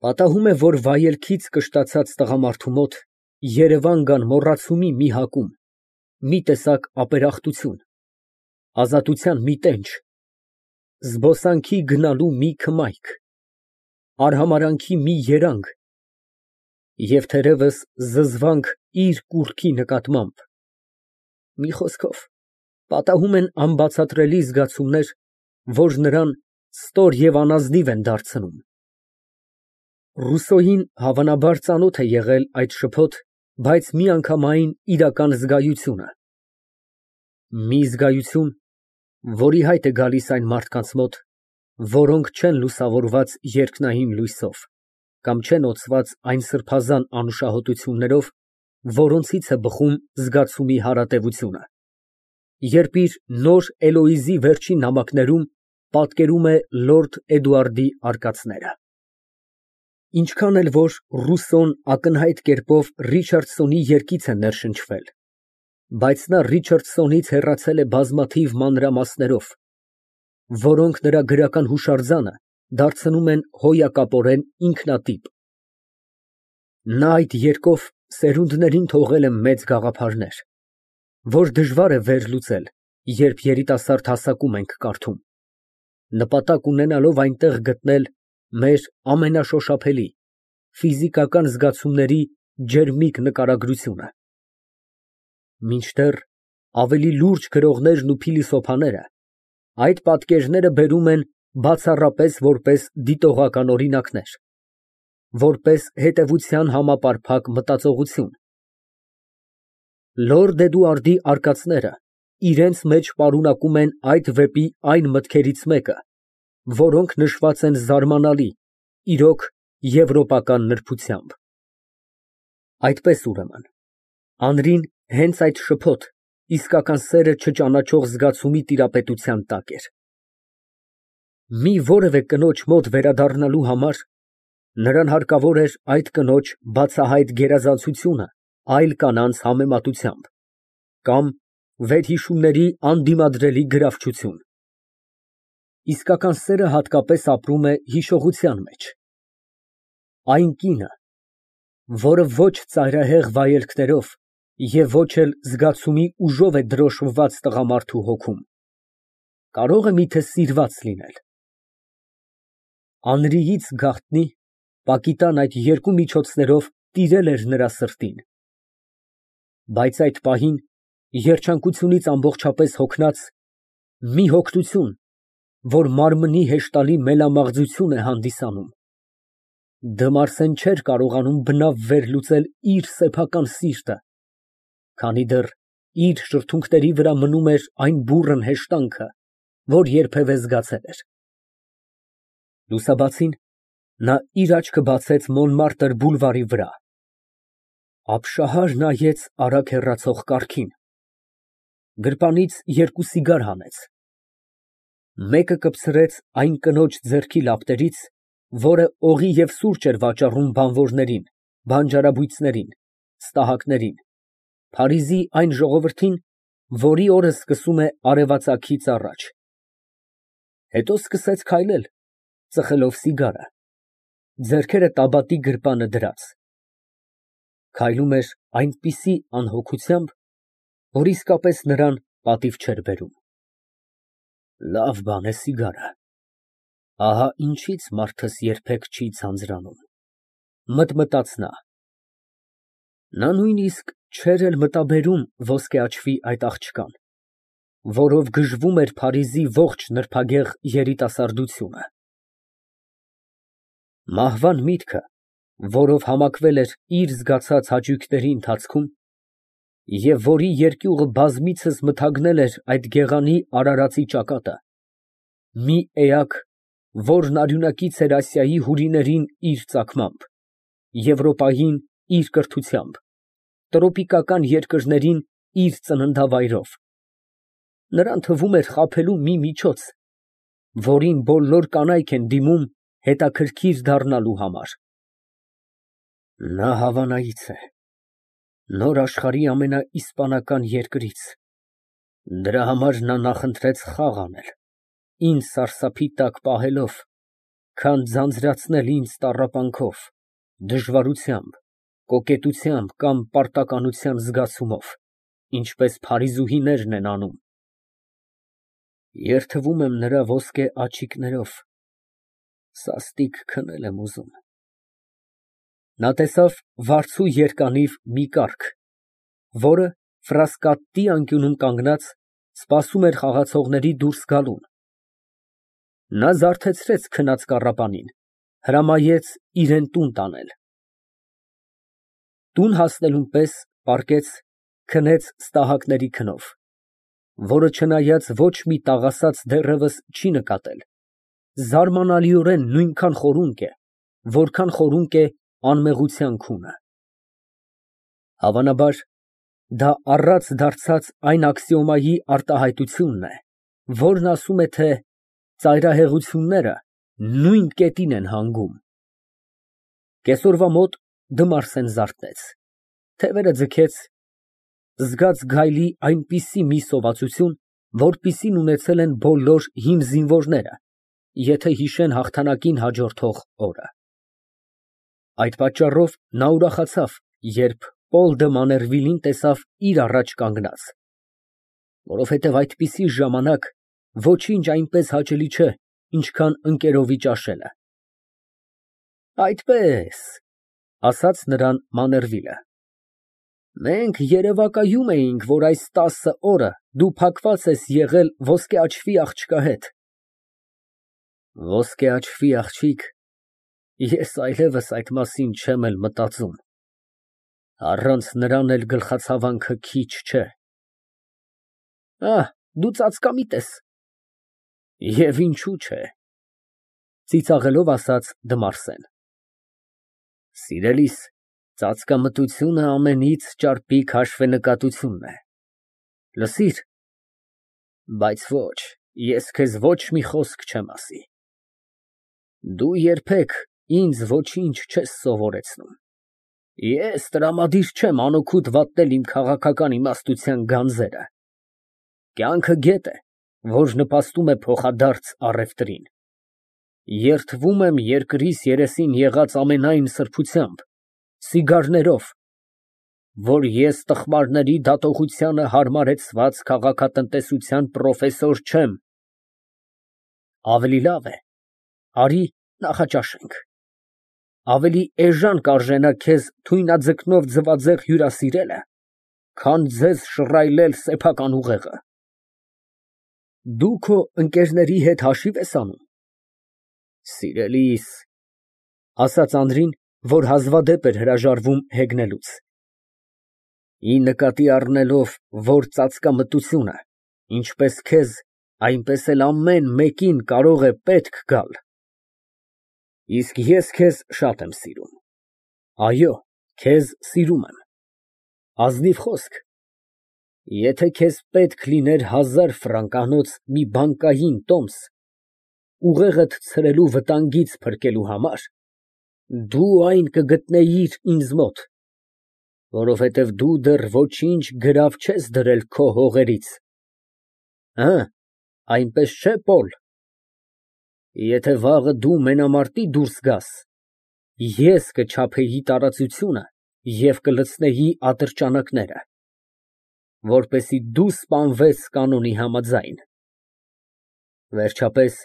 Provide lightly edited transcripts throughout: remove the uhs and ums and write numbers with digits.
Պատահում է, որ վայելքից կշտացած տղամարդու մոտ երևան կան մոռացումի մի հակում, մի տեսակ ապերախտություն, ազատության մի տենչ, զբոսանքի գնալու մի քմայք, արհամարհանքի մի երանգ և թերևս զզվանք իր կուռքի նկատմամբ, մի խոսքով, պատահում են անբացատրելի զգացումներ, որ նրան ստոր և անազնիվ են դարձնում։ Ռուսոյին հավանաբար ծանոթ է եղել այդ շփոթ, բայց միանգամայն իրական զգայությունը, մի զգայություն, որի հայտ է գալիս այն մարդկանց մոտ, որոնք չեն լուսավորված երկնային լույսով կամ չեն օծված այն սրբազան անուշահոտություններով, որոնցից է բխում զգացումի հարատևությունը, երբ իր նոր Էլոիզի վերջին նամակներում պատկերում է լորդ Էդուարդի արկածները։ Ինչքան էլ որ Ռուսոն ակնհայտ կերպով Ռիչարդսոնի երգից է ներշնչվել, բայց նա Ռիչարդսոնից հեռացել է բազմաթիվ մանրամասներով, որոնք նրա գրական հուշարձանը դարձնում են հոյակապորեն ինքնատիպ։ Նա այդ երգով սերունդներին թողել է մեծ գաղափարներ, որ դժվար է վերլուծել, երբ երիտասարդ հասակում ենք կարդում, նպատակ ունենալով այնտեղ գտնել մեր ամենաշոշափելի, ֆիզիկական զգացումների ջերմիկ նկարագրությունը, մինչդեռ ավելի լուրջ գրողներն ու փիլիսոփաները այդ պատկերները բերում են բացառապես որպես դիտողական օրինակներ, որպես հետևության համապարփակ մտածողություն։ Լորդ Էդուարդի արկածները իրենց մեջ պարունակում են այդ վեպի այն մտքերից մեկը, որոնք նշված են զարմանալի, իրոք եվրոպական նրբությամբ։ Այդպես ուրեմն, Անրին հենց այդ շփոթ, իսկական սերը չճանաչող զգացումի տիրապետության տակ էր։ Մի որևէ կնոջ մոտ վերադառնալու համար նրան հարկավոր էր այդ կնոջ բացահայտ գերազանցությունը այլ կանանց համեմատությամբ կամ վերհիշումների անդիմադրելի գրավչություն։ Իսկական սերը հատկապես ապրում է հիշողության մեջ։ Այն կինը, որը ոչ ծայրահեղ վայելքներով և ոչ էլ զգացումի ուժով է դրոշմված տղամարդու հոգում, կարո՞ղ է միթե սիրված լինել։ Անրիից գաղտնի, պակիտան այդ երկու միջոցներով տիրել էր նրա սրտին, բայց այդ պահին, երջանկությունից ամբողջապես հոգնած, մի հոգնություն, որ մարմնի հեշտալի մելամաղձություն է հանդիսանում, Դմարսեն չէր կարողանում բնավ վերլուծել իր սեփական սիրտը, քանի դեռ իր շրթունքների վրա մնում էր այն բուռն հեշտանքը, որ երբևէ զգացել էր։ Լուսաբացին նա իր աչքը բացեց Մոնմարտր բուլվարի վրա, ապշահար նայեց արագ հեռացող կառքին, գրպանից երկու սիգար հանեց, մեկը կպցրեց այն կնոջ ձեռքի լապտերից, որը օղի և սուրճ էր վաճառում բանվորներին, բանջարաբույծներին, ստահակներին, Փարիզի այն ժողովրդին, որի օրը սկսում է արևածագից առաջ, հետո սկսեց քայլել, ծխելով սիգարը, ձեռքերը տաբատի գրպանը դրած, քայլում էր այնպիսի անհոգությամբ, որ իսկապես նրան պատիվ չէր բերում։ Լավ բան է սիգարը, ահա ինչից մարդս երբեք չի ձանձրանում, մտմտաց նա։ Նա նույնիսկ չէր էլ մտաբերում ոսկե աչքի այդ աղջկան, որով գժվում էր Փարիզի ողջ նրբագեղ երիտասարդությունը։ Մահվան միտքը, որով համակվել էր իր զգացած հաճույքների ընթացքում, և որի երկյուղը բազմիցս մթագնել էր այդ գեղանի արարածի ճակատը, մի էակ, որն արյունակից էր Ասիայի հյուրիներին իր ծագմամբ, Եվրոպային իր կրթությամբ, տրոպիկական երկրներին իր ծննդավայրով, նրան թվում էր խաբելու մի միջոց, որին բոլոր կանայք են դիմում հետաքրքիր դառնալու համար։ Նա հավանայից է, նոր աշխարհի ամենաիսպանական երկրից, դրա համար նա նախընտրեց խաղ անել, ինձ սարսափի տակ պահելով, քան ձանձրացնել ինձ տառապանքով, դժվարությամբ, կոկետությամբ կամ պարտականության զգացումով, ինչպես փարիզուհիներն են անում։ Երդվում եմ նրա ոսկե աչիկներով, սաստիկ քնել եմ ուզում։ Նա տեսավ վարձու երկանիվ մի կառք, որը ֆրասկատի անկյունում կանգնած սպասում էր խաղացողների դուրս գալուն։ Նա զարթեցրեց քնած կառապանին, հրամայեց իրան տուն տանել։ Տուն հասնելուն պես պառկեց, քնեց ստահակների քնով, որը չնայած ոչ մի տաղասաց դեռևս չի նկատել, զարմանալիորեն նույնքան խորունկ է, որքան խորունկ է անմեղության քունը։ Հավանաբար, դա առած դարձած այն աքսիոմայի արտահայտությունն է, որն ասում է, թե ծայրահեղությունները նույն կետին են հանգում։ Կեսօրվա մոտ Դմարսեն զարթնեց, թևերը ձգեց, զգաց գայլի այնպիսի մի սովածություն, որպիսին ունեցել են բոլոր հին զինվորները, եթե հիշեն հաղթանակին հաջորդող օրը։ Այդ պատճառով նա ուրախացավ, երբ Պոլ դը Մաներվիլին տեսավ իր առաջ կանգնած, որովհետև այդպիսի ժամանակ ոչինչ այնպես հաճելի չէ, ինչքան ընկերովի ճաշելը։ Այդպես, ասաց նրան Մաներվիլը, մենք երևակայում էինք, որ այս 10 օրը դու փակված ես եղել ոսկե աչվի աղջկա հետ։ Ոսկե աչվի աղջիկ, ես այլևս այդ մասին չեմ էլ մտածում, առանց նրան էլ գլխացավանքը քիչ չէ։ Դու ծածկամիտ ես։ Եվ ինչու՞ չէ, ծիծաղելով ասաց Դմարսեն։ Սիրելիս, ծածկամտությունը ամենից ճարպիկ հաշվենկատությունն է։ Լսիր, բայց ոչ, ես քեզ ոչ մի խոսք չեմ ասի։ Դու երբեք ինձ ոչինչ չես սովորեցնում։ Ես տրամադիր չեմ անօգուտ վատնել իմ քաղաքական իմաստության գանձերը։ Կյանքը գետ է, որ նպաստում է փոխադարձ առևտրին։ Երդվում եմ երկրիս երեսին եղած ամենայն սրբությամբ, սիգարներով, որ ես տխմարների դատողությանը հարմարեցված քաղաքատնտեսության պրոֆեսոր չեմ։ Ավելի լավ է, արի նախաճաշենք։ Ավելի էժան կարժենա քեզ թույնաձկնով ձվածեղ հյուրասիրելը, քան ձեզ շռայլել սեփական ուղեղը։ Դու քո ընկերների հետ հաշիվ ես անում։ Սիրելիս, ասաց Անդրին, որ հազվադեպ էր հրաժարվում հեգնելուց։ Ի նկատի առնելով, որ ծածկամտությունը, ինչպես քեզ, այնպես էլ ամեն մեկին կարող է պետք գալ։ Իսկ ես քեզ շատ եմ սիրում։ Այո, քեզ սիրում եմ։ Ազնիվ խոսք։ Եթե քեզ պետք լիներ 1000 ֆրանկանոց մի բանկային տոմս, ուղեղդ ցրելու վտանգից փրկելու համար, դու այն կգտնեիր ինձ մոտ, որովհետև դու դեռ ոչինչ գրավ չես դրել քո հողերից։ Այնպես չէ՞, Պոլ։ Եթե վաղը դու մենամարտի դուրս գաս, ես կչափեի տարածությունը և կլցնեի ատրճանակները, որպեսզի դու սպանվես կանոնի համաձայն։ Վերջապես,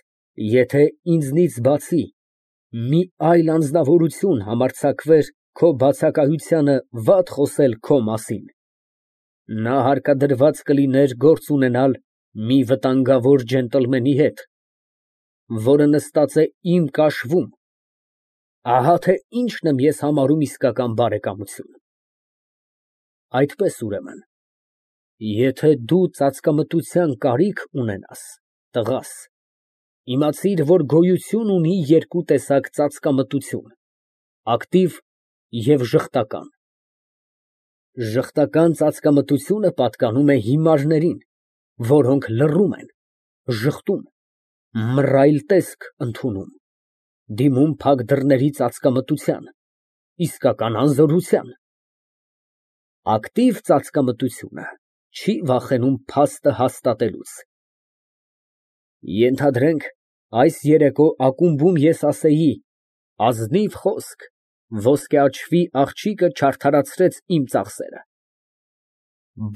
եթե ինձնից բացի մի այլ անձնավորություն համարձակվեր քո բացակայությանը վատ խոսել քո մասին, նա հարկադրված կլիներ գործ ունենալ մի վտանգավոր ջենտլմենի հետ, որը նստած է իմ կաշվում։ Ահա թե ինչն եմ ես համարում իսկական բարեկամություն։ Այդպես, ուրեմն, եթե դու ծածկամտության կարիք ունենաս, տղաս, իմացիր, որ գոյություն ունի երկու տեսակ ծածկամտություն՝ ակտիվ և ժխտական։ Ժխտական ծածկամտությունը պատկանում է հիմարներին, որոնք լռում են, ժխտում, մռայլ տեսք ընդունում, դիմում փակ դռների ծածկամտության, իսկական անզորության։ Ակտիվ ծածկամտությունը չի վախենում փաստը հաստատելուց։ Ենթադրենք, Այս երեկո ակումբում ես ասեի. ազնիվ խոսք, ոսկեաչվի աղջիկը չարդարացրեց իմ ծախսերը։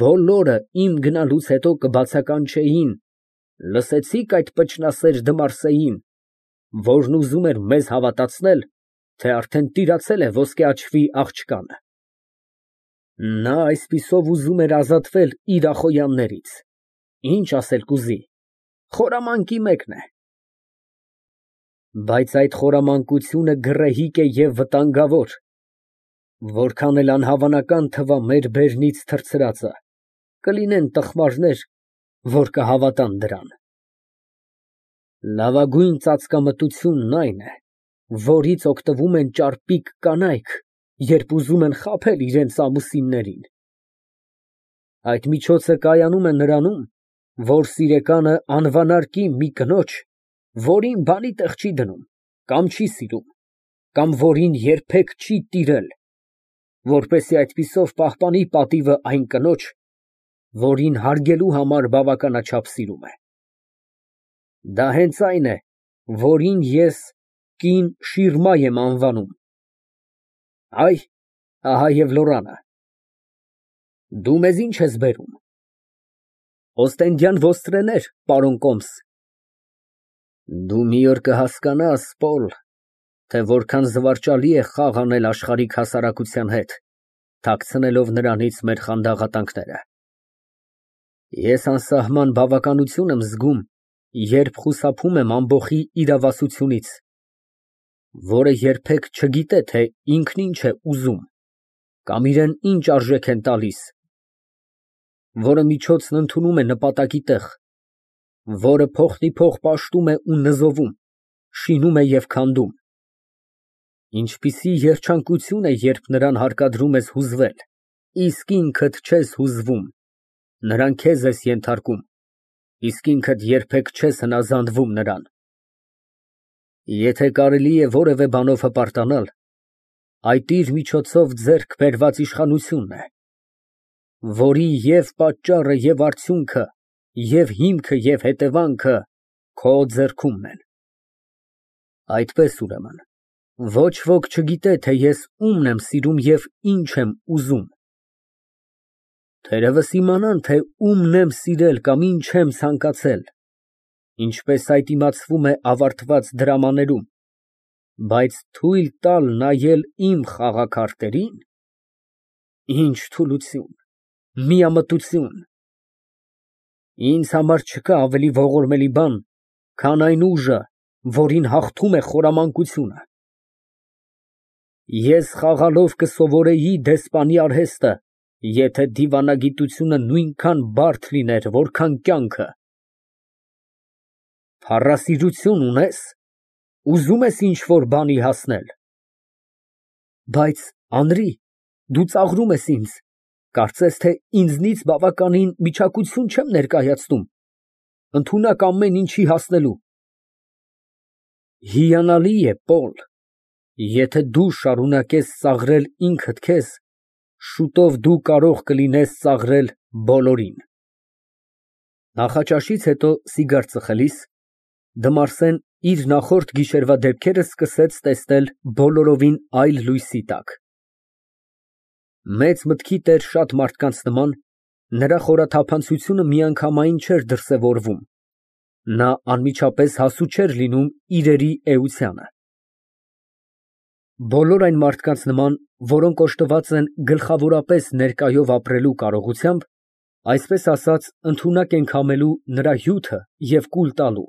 Բոլորը իմ գնալուց հետո կբացականչեին. լսեցի՞ք այդ պճնասեր Դմարսեին, որն ուզում էր մեզ հավատացնել, թե արդեն տիրացել է ոսկեաչվի աղջկանը։ Նա այսպիսով ուզում էր ազատվել իր ախոյաններից, ինչ ասել կուզի, խորամանկի մեկն է։ Բայց այդ խորամանկությունը գռեհիկ է և վտանգավոր, որքան էլ անհավանական թվա մեր բերնից թռցրածը, կլինեն տխմարներ, որ կհավատան դրան։ Լավագույն ծածկամտությունն այն է, որից օգտվում են ճարպիկ կանայք, երբ ուզում են խաբել իրենց ամուսիններին։ Այդ միջոցը կայանում է նրանում, որ սիրեկանը անվանարկի մի կնոջ, որին բանի տեղ չի դնում, կամ չի սիրում, կամ որին երբեք չի տիրել, որպեսզի այդպիսով պահպանի պատիվը այն կնոջ, որին հարգելու համար բավականաչափ սիրում է։ Դա հենց այն է, որին ես կին շիրմա եմ անվանում։ Այ, ահա և լորանը։ Դու մեզ ինչ ես բերում։ Օստենդյան ոստրեներ, պարոն Կոմս։ Դու մի օր կհասկանաս, Պոլ, թե որքան զվարճալի է խաղ անել աշխարհիկ հասարակության հետ, թաքցնելով նրանից մեր խանդաղատանքները։ Ես անսահման բավականություն եմ զգում, երբ խուսափում եմ ամբոխի իրավասությունից, որը երբեք չգիտե, թե ինքն ինչ է ուզում, կամ իրան ինչ արժեք են տալիս, որը միջոցն ընդունում է նպատակի տեղ, որը փոխնիփոխ պաշտում է ու նզովում, շինում է և քանդում։ Ինչպիսի երջանկություն է, երբ նրան հարկադրում ես հուզվել, իսկ ինքդ չես հուզվում, նրան քեզ ես ենթարկում, իսկ ինքդ երբեք չես հնազանդվում նրան։ Եթե կարելի է որևէ բանով հպարտանալ, այդ իր միջոցով ձեռք բերված իշխանությունն է, որի և պատճառը, և արդյունքը, և հիմքը, և հետևանքը քո ձեռքումն են։ Այդպես, ուրեմն, ոչ ոք չգիտե, թե ես ումն եմ սիրում և ինչ եմ ուզում։ Թերևս իմանան, թե ումն եմ սիրել կամ ինչ եմ ցանկացել, ինչպես այդ իմացվում է ավարտված դրամաներում, բայց թույլ տալ նայել իմ խաղաքարտերին, ինչ թուլություն, միամտություն։ Ինձ համար չկա ավելի ողորմելի բան, քան այն ուժը, որին հաղթում է խորամանկությունը։ Ես խաղալով կսովորեի դեսպանի արհեստը, եթե դիվանագիտությունը նույնքան բարդ լիներ, որքան կյանքը։ Փառասիրություն ունե՞ս, ուզում ես ինչ֊որ բանի հասնել։ Բայց, Անրի, դու ծաղրում ես ինձ, կարծես թե ինձնից բավականին միջակություն չեմ ներկայացնում ընդունակ ամեն ինչի հասնելու։ Հիանալի է, Պոլ, եթե դու շարունակես ծաղրել ինքդ քեզ, շուտով դու կարող կլինես ծաղրել բոլորին։ Նախաճաշից հետո սիգար ծխելիս, Դմարսեն իր նախորդ գիշերվա դեպքերը սկսեց տեսնել բոլորովին այլ լույսի տակ։ Մեծ մտքի տեր շատ մարդկանց նման, նրա խորաթափանցությունը միանգամայն չէր դրսևորվում, նա անմիջապես հասու չէր լինում իրերի էությանը։ Բոլոր այն մարդկանց նման, որոնք օժտված են գլխավորապես ներկայով ապրելու կարողությամբ, այսպես ասած, ընդունակ են քամելու նրա հյութը և կուլ տալու։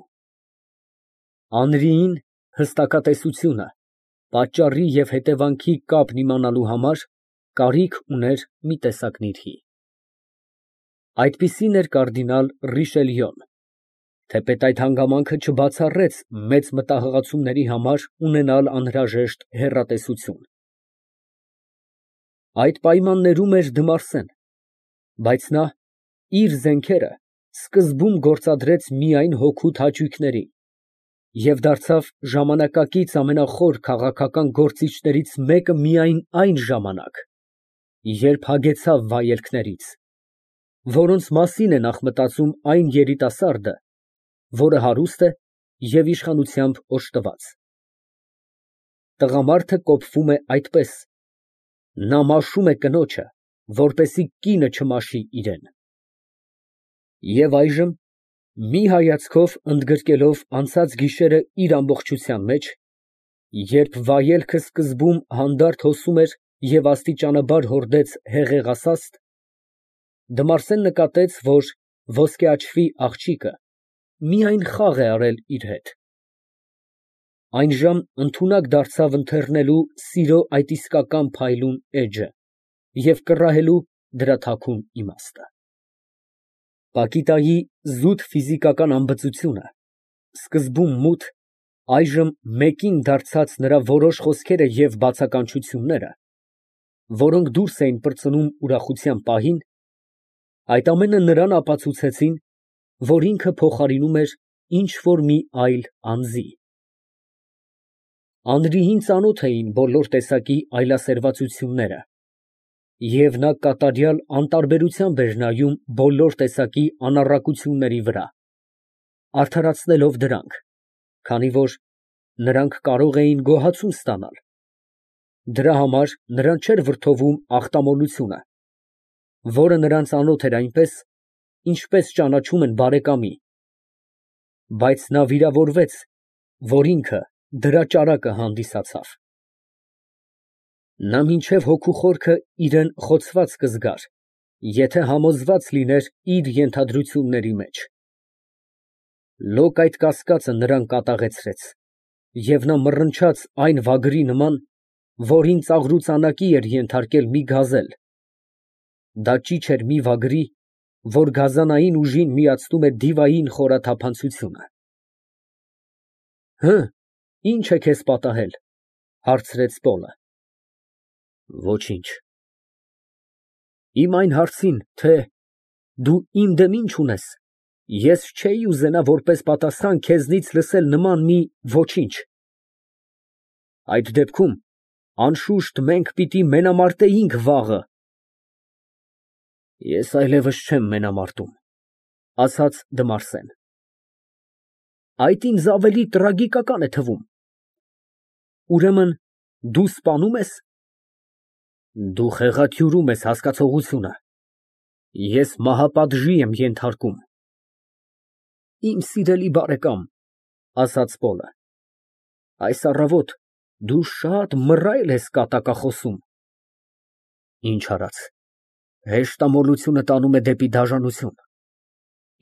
Անրիին հստակատեսությունը, պատճառի և հետևանքի կապն իմանալու համար կարիք ուներ մի տեսակ նիրհի։ Այդպիսին էր կարդինալ Ռիշելյոն, թեպետ այդ հանգամանքը չբացառեց մեծ մտահղացումների համար ունենալ անհրաժեշտ հեռատեսություն։ Այդ պայմաններում էր Դմարսեն, բայց նա իր զենքերը սկզբում գործադրեց միայն հոգուտ հաճույքների և դարձավ ժամանակակից ամենախոր քաղաքական գործիչներից մեկը միայն այն ժամանակ, երբ հագեցավ վայելքներից, որոնց մասին է նախ մտածում այն երիտասարդը, որը հարուստ է և իշխանությամբ օժտված։ Տղամարդը կոփվում է այդպես. նա մաշում է կնոջը, որպեսզի կինը չմաշի իրան։ Եվ այժմ, մի հայացքով ընդգրկելով անցած գիշերը իր ամբողջության մեջ, երբ վայելքը սկզբում հանդարտ հոսում էր և աստիճանաբար հորդեց հեղեղասաստ, Դմարսեն նկատեց, որ ոսկեաչվի աղջիկը միայն խաղ է արել իր հետ։ Այնժամ ընդունակ դարձավ ընթեռնելու սիրո այդ իսկական փայլուն էջը և կռահելու դրա թաքուն իմաստը։ Պակիտայի զուտ ֆիզիկական ամբծությունը, սկզբում մութ, այժմ մեկին դարձած նրա որոշ խոսքերը և բացականչությունները, որոնք դուրս էին պրծնում ուրախության պահին, այդ ամենը նրան ապացուցեցին, որ ինքը փոխարինում էր ինչ֊որ մի այլ անձի։ Անրիին ծանոթ էին բոլոր տեսակի այլասերվածությունները, և նա կատարյալ անտարբերությամբ էր նայում բոլոր տեսակի անառակությունների վրա, արդարացնելով դրանք, քանի որ նրանք կարող էին գոհացում ստանալ, դրա համար նրան չէր վրդովում ախտամոլությունը, որը նրան ծանոթ էր այնպես, ինչպես ճանաչում են բարեկամի, բայց նա վիրավորվեց, որ ինքը դրա ճարակը հանդիսացավ։ Նա մինչև հոգու խորքը իրան խոցված կզգար, եթե համոզված լիներ իր ենթադրությունների մեջ։ Լոկ այդ կասկածը նրան կատաղեցրեց, և նա մռնչաց այն վագրի նման, որին ծաղրուծանակի էր ենթարկել մի գազել, դա ճիչ էր մի վագրի, որ գազանային ուժին միացնում է դիվային խորաթափանցությունը։ Հը, ի՞նչ է քեզ պատահել, ֊ հարցրեց Պոլը։ Ոչինչ։ Իմ այն հարցին, թե դու իմ դեմ ինչ ունես, ես չէի ուզենա որպես պատասխան քեզնից լսել նման մի ոչինչ։ Այդ դեպքում, անշուշտ, մենք պիտի մենամարտեինք վաղը։ Ես այլևս չեմ մենամարտում, ֊ ասաց Դմարսեն։ Այդ ինձ ավելի տրագիկական է թվում։ Ուրեմն դու սպանում ես։ Դու խեղաթյուրում ես հասկացողությունը, ես մահապատժի եմ ենթարկում։ Իմ սիրելի բարեկամ, ֊ ասաց Պոլը, այս առավոտ դու շատ մռայլ ես կատակախոսում։ Ինչ արած, հեշտամոլությունը տանում է դեպի դաժանություն։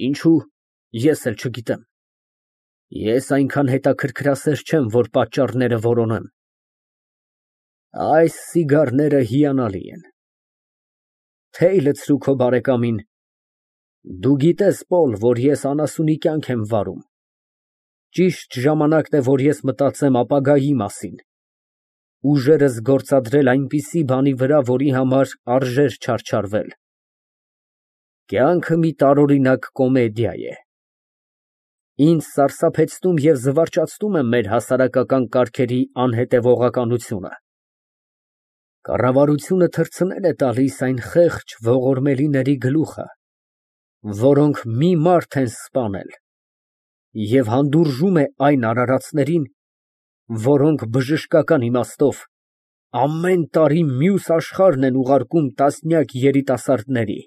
Ինչո՞ւ, ես էլ չգիտեմ։ Ես այնքան հետաքրքրասեր չեմ, որ պատճառները որոնեմ։ Այս սիգարները հիանալի են։ Թեյ լցրու քո բարեկամին։ Դու գիտես, Պոլ, որ ես անասունի կյանք եմ վարում։ Ճիշտ ժամանակն է, որ ես մտածեմ ապագայի մասին, ուժերս գործադրել այնպիսի բանի վրա, որի համար արժեր չարչարվել։ Կյանքը մի տարօրինակ կոմեդիա է։ Ինձ սարսափեցնում և զվարճացնում է մեր հասարակական կարգերի անհետևողականությունը։ Կառավարությունը թռցնել է տալիս այն խեղճ ողորմելիների գլուխը, որոնք մի մարդ են սպանել, և հանդուրժում է այն արարածներին, որոնք բժշկական իմաստով ամեն տարի մյուս աշխարհն են ուղարկում տասնյակ երիտասարդների։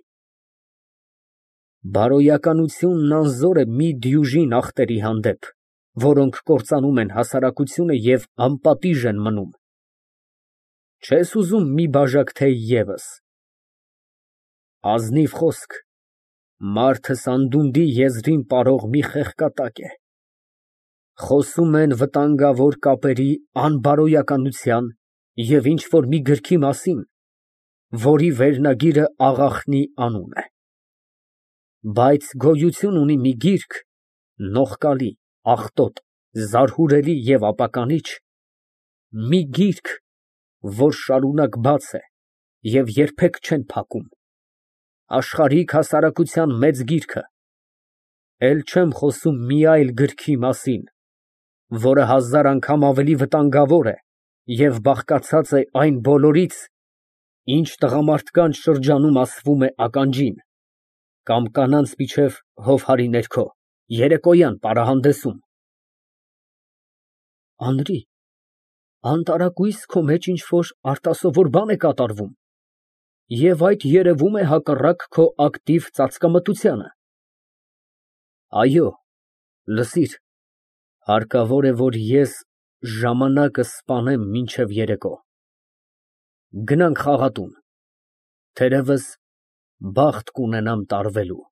Բարոյականությունն անզոր է մի դյուժին ախտերի հանդեպ, որոնք կործանում են հասարակությունը և անպատիժ են մնում։ Չես ուզում մի բաժակ թեյ ևս։ Ազնիվ խոսք, մարդը սանդունդի եզրին պարող մի խեղկատակ է։ Խոսում են վտանգավոր կապերի անբարոյականության և ինչ֊որ մի գրքի մասին, որի վերնագիրը աղախնի անուն է։ Բայց գոյություն ունի մի գիրք, նողկալի, աղտոտ, զարհուրելի և ապականիչ, մի գիրք, որ շարունակ բաց է և երբեք չեն փակում, աշխարհիկ հասարակության մեծ գիրքը, էլ չեմ խոսում մի այլ գրքի մասին, որը հազար անգամ ավելի վտանգավոր է և բաղկացած է այն բոլորից, ինչ տղամարդկանց շրջանում ասվում է ականջին, կամ կանանց միջև հովհարի ներքո, երեկոյան պարահանդեսում։ Անրի, անտարակույս քո մեջ ինչ֊որ արտասովոր բան է կատարվում, և այդ երևում է հակառակ քո ակտիվ ծածկամտությանը։ Այո, լսիր, հարկավոր է, որ ես ժամանակս սպանեմ մինչև երեկո։ Գնանք խաղատուն, թերևս բախտ կունենամ տարվելու։